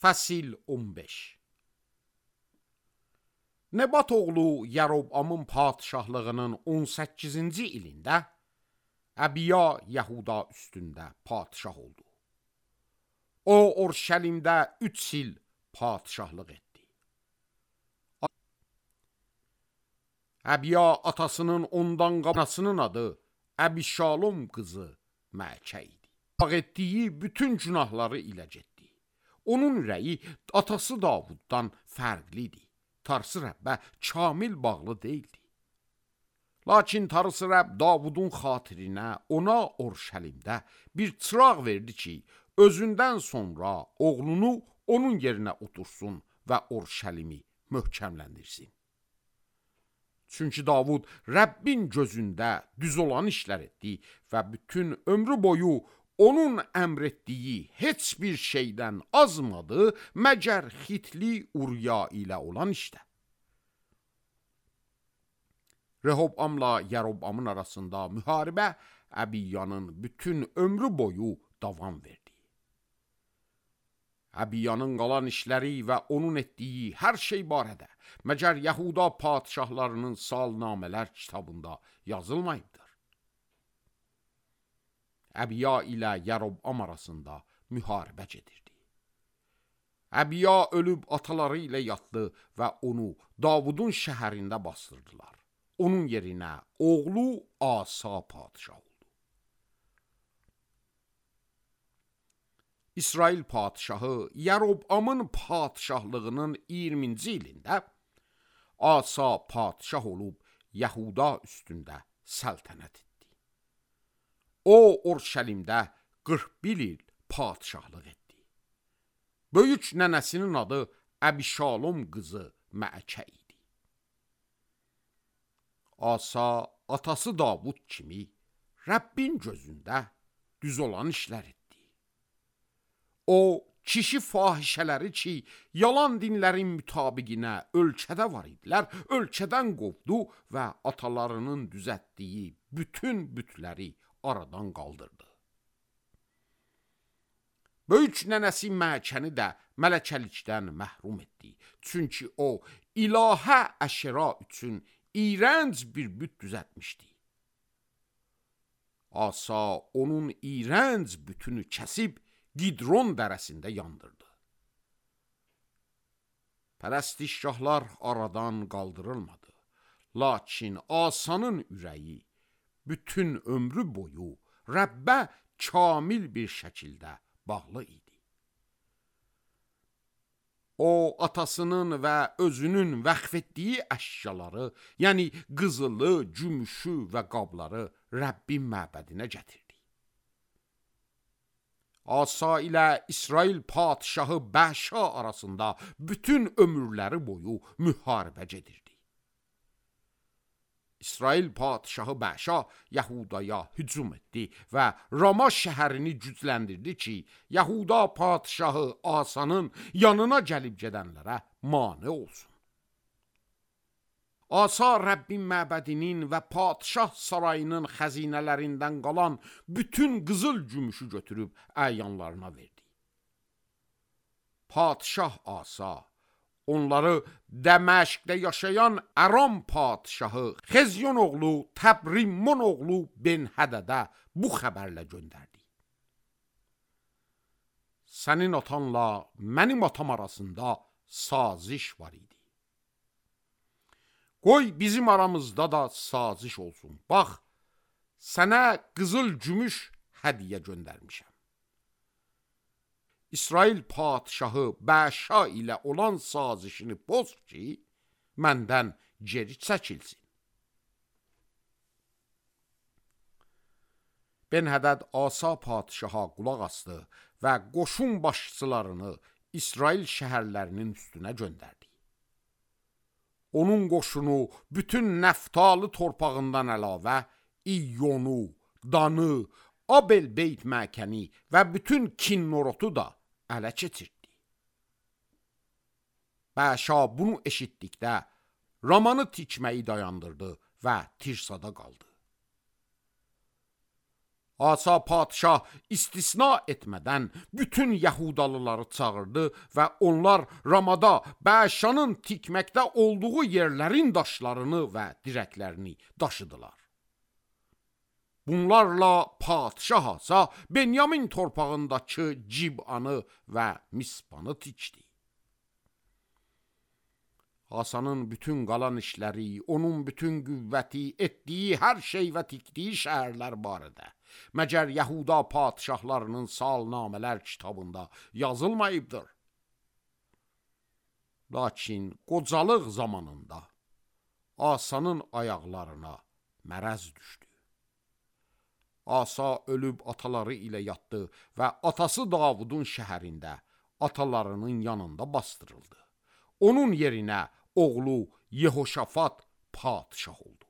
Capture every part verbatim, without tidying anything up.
Fəsil on beş. Nebat oğlu Yerobamın padişahlığının on səkkizinci ilində Əbiya Yahuda üstündə padişah oldu. O, Orşəlimdə üç il padişahlıq etdi. Əbiya atasının ondan qabasının adı Əbişalom qızı Məəkə idi. Bağ etdiyi bütün günahları ilə getdi. Onun ürəyi atası Davuddan fərqli idi. Tarsı Rəbbə kamil bağlı deyildi. Lakin Tarsı Rəbb Davudun xatirinə ona Orşəlimdə bir çıraq verdi ki, özündən sonra oğlunu onun yerinə otursun və Orşəlimi möhkəmləndirsin. Çünki Davud Rəbbin gözündə düz olan işlər etdi və bütün ömrü boyu onun əmr etdiyi heç bir şeydən azmadı, məgər Xitli Uriya ilə olan işdə. Rehobamla Yerobamın arasında müharibə Əbiyanın bütün ömrü boyu davam verdi. Əbiyanın qalan işləri və onun etdiyi hər şey barədə məgər Yahuda padişahlarının salnamələr kitabında yazılmayıbdır. Əbiya ilə Yerobam arasında müharibə gedirdi. Əbiya ölüb ataları ilə yatdı və onu Davudun şəhərində bastırdılar. Onun yerinə oğlu Asa padişah oldu. İsrail padişahı Yerobamın padişahlığının iyirminci ilində Asa padişah olub Yahuda üstündə səltənət etdi. O, Orşəlimdə qırx bir il padişahlıq etdi. Böyük nənəsinin adı Əbişalom qızı Məəkə idi. Asa, atası Davud kimi Rəbbin gözündə düz olan işlər etdi. O, kişi fahişələri ki, yalan dinlərin mütabiqinə ölkədə var idilər, ölkədən qovdu və atalarının düzətdiyi bütün bütləri aradan qaldırdı. Böyük nənəsi Məəkəni də mələkəlikdən məhrum etdi. Çünki o, ilahə əşra üçün iyrənc bir büt düzətmişdi. Asa onun iyrənc bütünü kəsib Gidron dərəsində yandırdı. Pərəstişgahlar aradan qaldırılmadı. Lakin Asanın ürəyi bütün ömrü boyu Rəbbə kamil bir şəkildə bağlı idi. O, atasının və özünün vəqf etdiyi əşyaları, yəni qızılı, gümüşü və qabları Rəbbin məbədinə gətirdi. Asa ilə İsrail padişahı Bəşa arasında bütün ömürləri boyu müharibə gedirdi. İsrail padişahı Bəşa Yahudaya hücum etdi və Rama şəhərini gücləndirdi ki, Yahuda padişahı Asanın yanına gəlib gedənlərə mane olsun. Asa Rəbbin məbədinin və padişah sarayının xəzinələrindən qalan bütün qızıl gümüşü götürüb əyanlarına verdi. Padişah Asa onları Dəməşqdə yaşayan Aram padişahı Xezyon oğlu Təbrimmon oğlu Ben-Hədədə bu xəbərlə göndərdi. Sənin atanla mənim atam arasında saziş var idi. Qoy bizim aramızda da saziş olsun. Bax, sənə qızıl gümüş hədiyə göndərmişəm. İsrail padişahı Bəşa ilə olan sazişini poz ki, məndən geri çəkilsin. Ben-Hədəd Asa padişaha qulaq asdı və qoşun başçılarını İsrail şəhərlərinin üstünə göndərdi. Onun qoşunu bütün Nəftalı torpağından əlavə İyyonu, Danı, Abel-Beyt Məkəni və bütün Kinnorotu da ələ keçirdi. Bəşa bunu eşitdikdə Ramanı tikməyi dayandırdı və Tirsada qaldı. Asa padşah istisna etmədən bütün Yahudalıları çağırdı və onlar Ramada Bəşanın tikməkdə olduğu yerlərin daşlarını və dirəklərini daşıdılar. Bunlarla padşah Asa Benyamin torpağındakı Cib'anı və Mispanı tikdi. Asanın bütün qalan işləri, onun bütün qüvvəti, etdiyi hər şey və tikdiyi şəhərlər barədə məgər Yahuda padşahlarının salnamələr kitabında yazılmayıbdır. Lakin qocalıq zamanında Asanın ayaqlarına mərəz düşdü. Asa ölüb ataları ilə yatdı və atası Davudun şəhərində atalarının yanında bastırıldı. Onun yerinə oğlu Yehoşafat padşah oldu.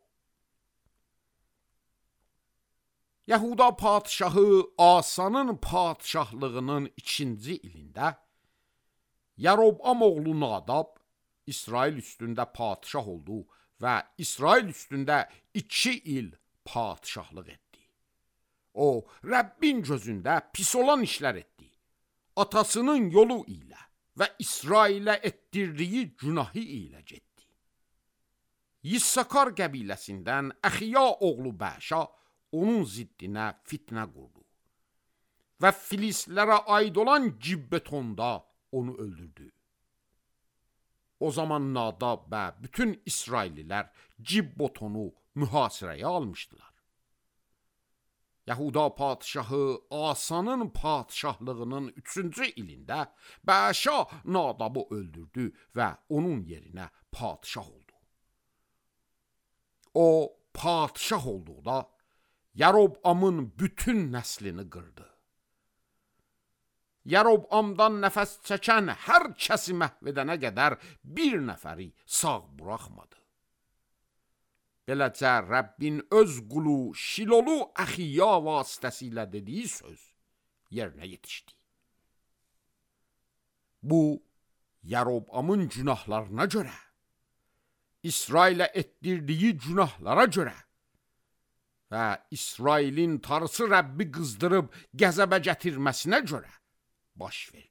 Yahuda padşahı Asanın padşahlığının ikinci ilində Yaroboam oğlu Nadab İsrail üstündə padşah oldu və İsrail üstündə iki il padşahlıq etdi. O, Rəbbin gözündə pis olan işlər etdi. Atasının yolu ilə və İsrailə etdirdiyi günahı ilə getdi. Yissakar qəbiləsindən Əxiya oğlu Bəşa onun ziddinə fitnə qurdu və Filistlərə aid olan Gibbetonda onu öldürdü. O zaman Nadab və bütün İsraillilər Gibbetonu mühasirəyə almışdılar. Yahuda padşahı Asanın padşahlığının üçüncü ilində Bəşa Nadabı öldürdü və onun yerinə padşah oldu. O padşah olduqda Yaroboamın bütün nəslini qırdı. Yaroboamdan nəfəs çəkən hər kəsi məhv edənə qədər bir nəfəri sağ buraxmadı. Beləcə Rəbbin öz qulu Şilolu Əxiya vasitəsilə dediyi söz yerinə yetişdi. Bu, Yaroboamın günahlarına görə, İsrailə etdirdiyi günahlara görə və İsrailin tarısı Rəbbi qızdırıb qəzəbə gətirməsinə görə baş verdi.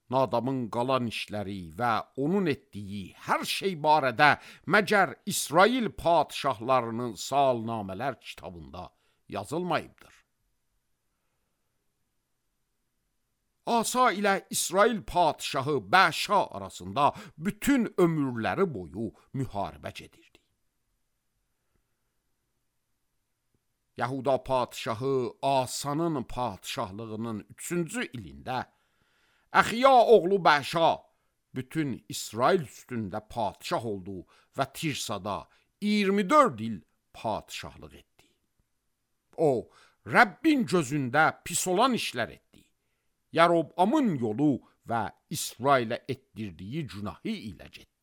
Nadabın qalan işləri və onun etdiyi hər şey barədə məgər İsrail padşahlarının salnamələr kitabında yazılmayıbdır. Asa ilə İsrail padşahı Bəşa arasında bütün ömürləri boyu müharibə gedirdi. Yahuda padşahı Asanın padşahlığının üçüncü ilində Əxiya oğlu Bəşa bütün İsrail üstündə padşah oldu və Tirsada iyirmi dörd il padşahlıq etdi. O, Rəbbin gözündə pis olan işlər etdi. Yaroboamın yolu və İsrailə etdirdiyi günahı ilə getdi.